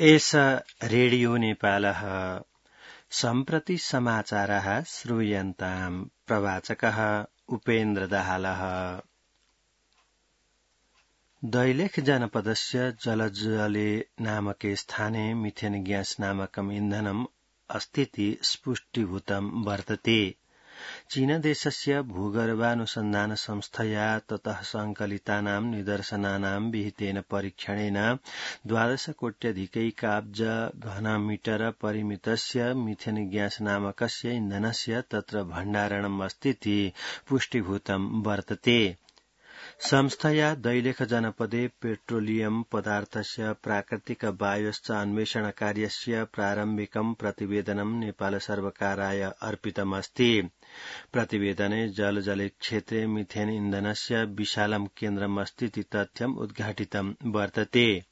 एष रेडियो नेपालः सम्प्रति समाचारः श्रूयन्ताम् प्रवाचकः उपेन्द्र दाहालः। दैलेख जनपदस्य जलजले नामके स्थाने मिथेन ग्यास नामकम् इन्धनम् अस्तीति स्पुष्टीभूतं वर्तते। चीनदेशस्य भूगर्भानुसन्धान संस्थया ततः संकलितानां निदर्शनानां विहितेन परीक्षणेन 12 कोट्यधिकैकाब्ज घनमीटर परिमितस्य मिथेन ग्यास नामकस्य इन्धनस्य तत्र भण्डारणम् अस्तीति पुष्टीभूतं वर्तते। संस्थया दैलेख जनपदे पेट्रोलियम पदार्थस्य प्राकृतिक वायोश्च अन्वेषणकार्यस्य प्रारम्भिकं प्रतिवेदनं नेपाल सर्वकाराय अर्पितमस्ति। प्रतिवेदने जलजले क्षेत्रे मिथेन इन्धनस्य विशालं केन्द्रमस्तीति तथ्यम् उद्घाटितं वर्तते।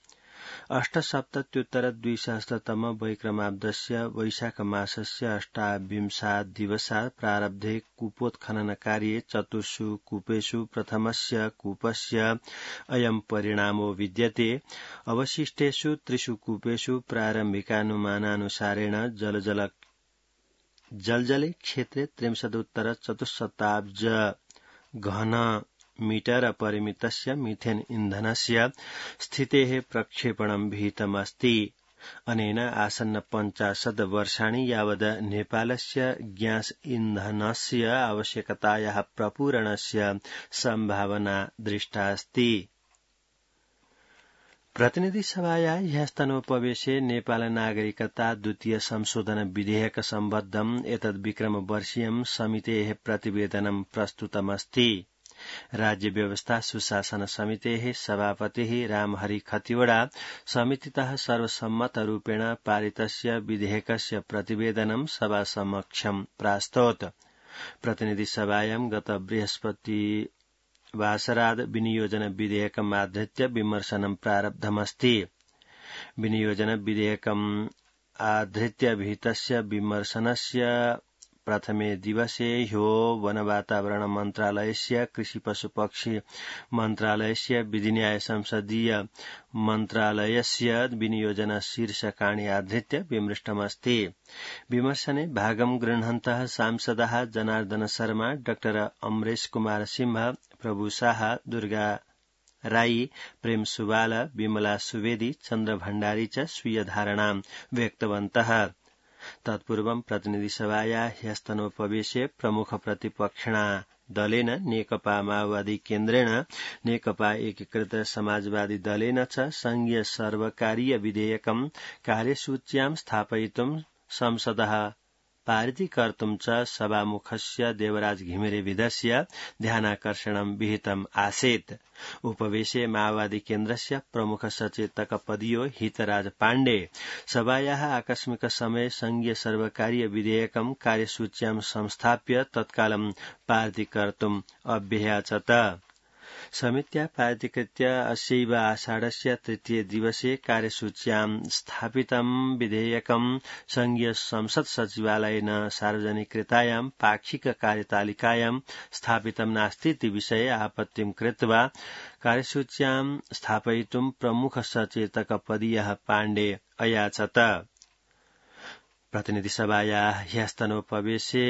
8सप्तत्युत्तर-2000 वैक्रमाब्दस्य वैशाख मासस्य 28 दिवसात् प्रारब्धे कूपोत्खननकार्ये 4 कूपेषु प्रथमस्य कूपस्य अयं परिणामो विद्यते। अवशिष्टेषु 3 कूपेषु प्रारम्भिकानुमानानुसारेण जलजले क्षेत्रे 63-4 घन मीटर परिमितस्य मिथेन इन्धनस्य स्थितेः प्रक्षेपणं विहितमस्ति। अनेन आसन्न 50 वर्षाणि यावद् नेपालस्य ग्यास इन्धनस्य आवश्यकतायाः प्रपूरणस्य सम्भावना दृष्टा अस्ति। प्रतिनिधि सभाया ह्यस्तनोपवेशे नेपाल नागरिकता द्वितीय संशोधन विधेयक सम्बद्धम् एतद् विक्रमवर्षीयं समितेः प्रतिवेदनं प्रस्तुतमस्ति। राज्य व्यवस्था सुशासन समितेः सभापतिः रामहरि खतिवड़ा समितितः सर्वसम्मतरूपेण पारितस्य विधेयकस्य प्रतिवेदनं सभासमक्षं प्रास्तोत्। प्रतिनिधि सभायां गत बृहस्पतिवासराद् विनियोजन विधेयकमाधृत्य विमर्शनं प्रारब्धमस्ति। विनियोजन विधेयकम् आधृत्य विहितस्य विमर्शनस्य प्रथमे दिवसे ह्यो वनवातावरण मन्त्रालयस्य कृषि पशुपक्षी मन्त्रालयस्य विधिन्याय संसदीय मन्त्रालयस्य विनियोजन शीर्षकाणि आधृत्य विमृष्टमस्ति। विमर्शने भागं गृह्णन्तः सांसदः जनार्दन शर्मा, डॉक्टर अमरेश कुमार सिंह, प्रभु शाह, दुर्गा राई, प्रेम सुवाल, विमला सुवेदी, चन्द्र भण्डारी च स्वीय धारणां व्यक्तवन्तः। तत्पूर्वं प्रतिनिधि सभाया ह्यस्तनोपवेशे प्रमुख प्रतिपक्षिणा दलेन नेकपा माओवादी केन्द्रेण नेकपा एकीकृत समाजवादी दलेन च संघीय सर्वकारीय विधेयकं कार्यसूच्यां स्थापयितुं संसदः पारितीकर्तुं च सभामुखस्य देवराज घिमिरेविधस्य ध्यानाकर्षणं विहितम् आसीत्। उपवेशे माओवादी केन्द्रस्य प्रमुख सचेतक पदीयो हितराज पाण्डे सभायाः आकस्मिक समये संघीय सर्वकारीय विधेयकं कार्यसूच्यां संस्थाप्य तत्कालं पारितीकर्तुम् अभ्ययाचत। समित्या पारितीकृत्य अस्यैव आषाढस्य तृतीय दिवसे कार्यसूच्यां स्थापितं विधेयकं संघीय संसद सचिवालयेन सार्वजनिकृतायां पाक्षिक कार्यतालिकायां स्थापितं नास्तीति विषये आपत्तिं कृत्वा कार्यसूच्यां स्थापयितुं प्रमुख सचेतक पदीयः पाण्डे अयाचत। प्रतिनिधि सभायाः ह्यस्तनोपवेशे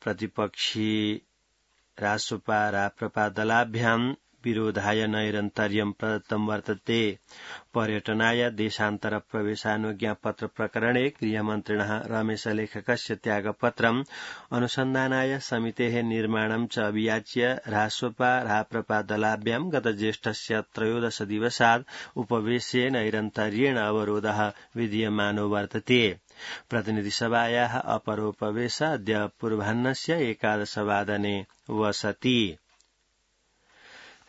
प्रतिपक्षी रासोपा राप्रपा दलाभ्यां विरोधाय नैरन्तर्यं प्रदत्तं वर्तते। पर्यटनाय देशान्तर प्रवेशानुज्ञापत्र प्रकरणे गृहमन्त्रिणः रमेशलेखकस्य त्यागपत्रम् अनुसन्धानाय समितेः निर्माणं च अभियाच्य रासोपा राप्रपा दलाभ्यां गत ज्येष्ठस्य 13 दिवसात् उपवेशे नैरन्तर्येण अवरोधः विधीयमानो वर्तते। प्रतिनिधि सभायाः अपरोपवेश अद्य पूर्वाह्नस्य 11 वादने वसति।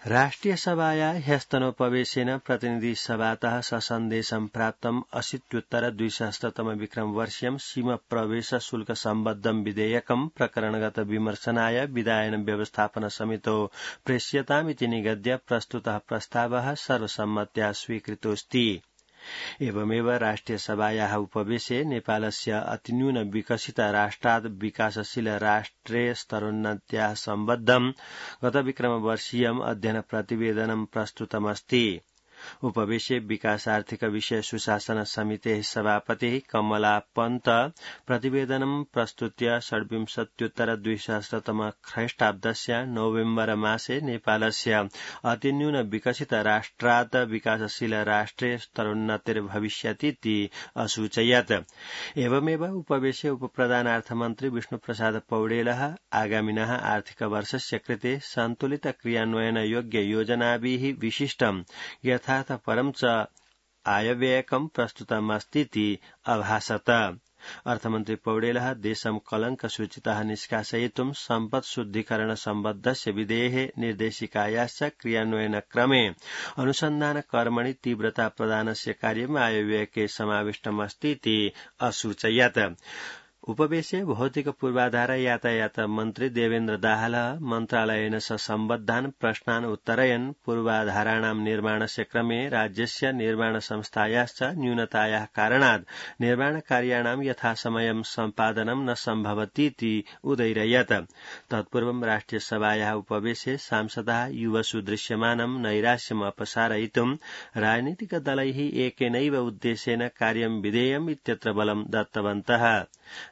राष्ट्रिय सभाया ह्यस्तनोपवेशेन प्रतिनिधि सभातः ससन्देशं प्राप्तम् 80-200 विक्रमवर्षीयं सीमा प्रवेश शुल्क सम्बद्धं विधेयकं प्रकरणगत विमर्शनाय विधायन व्यवस्थापन समितौ प्रेष्यतामिति निगद्य प्रस्तुतः प्रस्तावः सर्वसम्मत्या स्वीकृतोऽस्ति। एवमेव राष्ट्रिय सभायाः उपवेशे नेपालस्य अतिन्यून विकसित राष्ट्रात् विकासशील राष्ट्रे स्तरोन्नत्याः सम्बद्धं गत विक्रमवर्षीयम् अध्ययन प्रतिवेदनं प्रस्तुतमस्ति। उपवेशे विकासार्थिक विषय सुशासन समितेः सभापतिः कमला पन्त प्रतिवेदनं प्रस्तुत्य षड्विंशत्युत्तर-द्विसहस्रतम ख्रीष्टाब्दस्य नवेम्बर मासे नेपालस्य अतिन्यून विकसित राष्ट्रात् विकासशील राष्ट्रे स्तरोन्नतिर्भविष्यतीति असूचयत्। एवमेव उपवेशे उपप्रधानार्थमन्त्री विष्णुप्रसाद पौडेलः आगामिनः आर्थिकवर्षस्य कृते सन्तुलित क्रियान्वयनयोग्य योजनाभिः विशिष्टं यथार्थपरं च आयव्ययकं प्रस्तुतमस्तीति अभासत। अर्थमन्त्री पौडेलः देशं कलङ्कसूचितः निष्कासयितुं सम्पत्शुद्धीकरण सम्बद्धस्य विधेयः निर्देशिकायाश्च क्रियान्वयनक्रमे अनुसन्धानकर्मणि तीव्रता प्रदानस्य कार्यम् आयव्ययके समाविष्टमस्तीति असूचयत्। उपवेशे भौतिक पूर्वाधार यातायात मन्त्री देवेन्द्र दाहालः मन्त्रालयेन सह सम्बद्धान् प्रश्नान् उत्तरयन् पूर्वाधाराणां निर्माणस्य क्रमे राज्यस्य निर्माण संस्थायाश्च न्यूनतायाः कारणात् निर्माणकार्याणां यथासमयं सम्पादनं न सम्भवतीति उदैरयत्। तत्पूर्वं राष्ट्रियसभायाः उपवेशे सांसदाः युवसु दृश्यमानं नैराश्यम् अपसारयितुं राजनीतिकदलैः एकेनैव उद्देश्येन कार्यं विधेयम् इत्यत्र बलं दत्तवन्तः।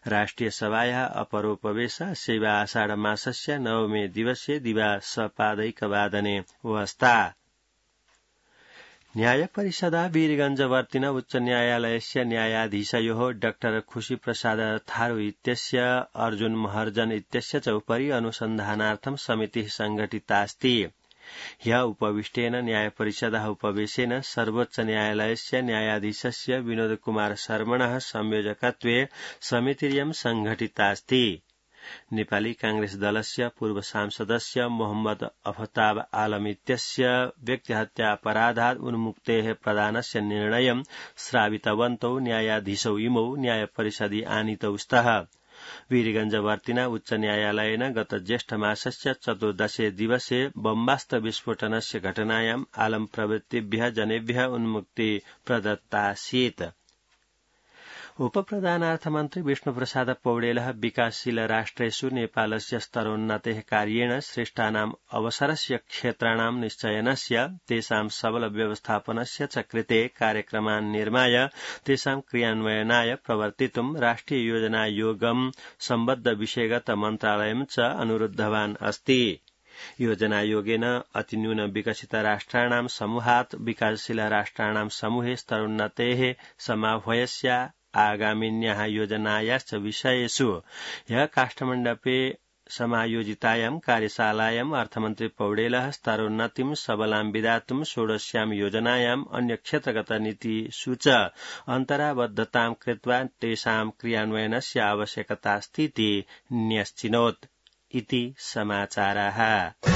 राष्ट्रियसभायाः अपरोपवेशः शैव आषाढमासस्य नवमे दिवसे दिवा सपादैकवादने वस्ता। न्यायपरिषदा वीरगंजवर्तिन उच्चन्यायालयस्य न्यायाधीशयोः डॉ खुशीप्रसाद थारू इत्यस्य अर्जुन महर्जन इत्यस्य च उपरि अनुसन्धानार्थं समितिः संघटितास्ति। ह्यः उपविष्टेन न्यायपरिषदः उपवेशेन सर्वोच्च न्यायालयस्य न्यायाधीशस्य विनोदकुमार शर्मणः संयोजकत्वे समितिर्यं संघटितास्ति। नेपाली कांग्रेस दलस्य पूर्व सांसदस्य मोहम्मद अफताब आलम इत्यस्य व्यक्तिहत्या अपराधात् उन्मुक्तेः प्रदानस्य निर्णयं श्रावितवन्तौ न्यायाधीशौ इमौ न्यायपरिषदि आनीतौ स्तः। वीरगंजवर्तिना उच्च न्यायालयेन गत ज्येष्ठमासस्य 14 दिवसे बम्बास्त विस्फोटनस्य घटनायाम् आलम प्रभृतिभ्यः जनेभ्यः उन्मुक्ति प्रदत्तासीत्। उपप्रधानार्थमन्त्री विष्णुप्रसाद पौडेलः विकासशील राष्ट्रेषु नेपालस्य स्तरोन्नतेः कार्येण सृष्टानाम् अवसरस्य क्षेत्राणां निश्चयनस्य तेषां सबल व्यवस्थापनस्य च कृते कार्यक्रमान् निर्माय तेषां क्रियान्वयनाय प्रवर्तितुं राष्ट्रिय योजनायोगं सम्बद्ध विषयगत मन्त्रालयं च अनुरुद्धवान् अस्ति। योजनायोगेन अतिन्यून विकसित राष्ट्राणां समूहात् विकासशील राष्ट्राणां समूहे स्तरोन्नतेः समाह्वयस्य आगामिन्याः योजनायाश्च विषयेषु ह्यः काष्ठमण्डपे समायोजितायां कार्यशालायाम् अर्थमन्त्री पौडेलः स्तरोन्नतिं सबलां विधातुं 16 योजनायाम् अन्यक्षेत्रगत नीतिषु च अन्तराबद्धतां कृत्वा तेषां क्रियान्वयनस्य आवश्यकतास्तीति न्यश्चिनोत् इति समाचाराः।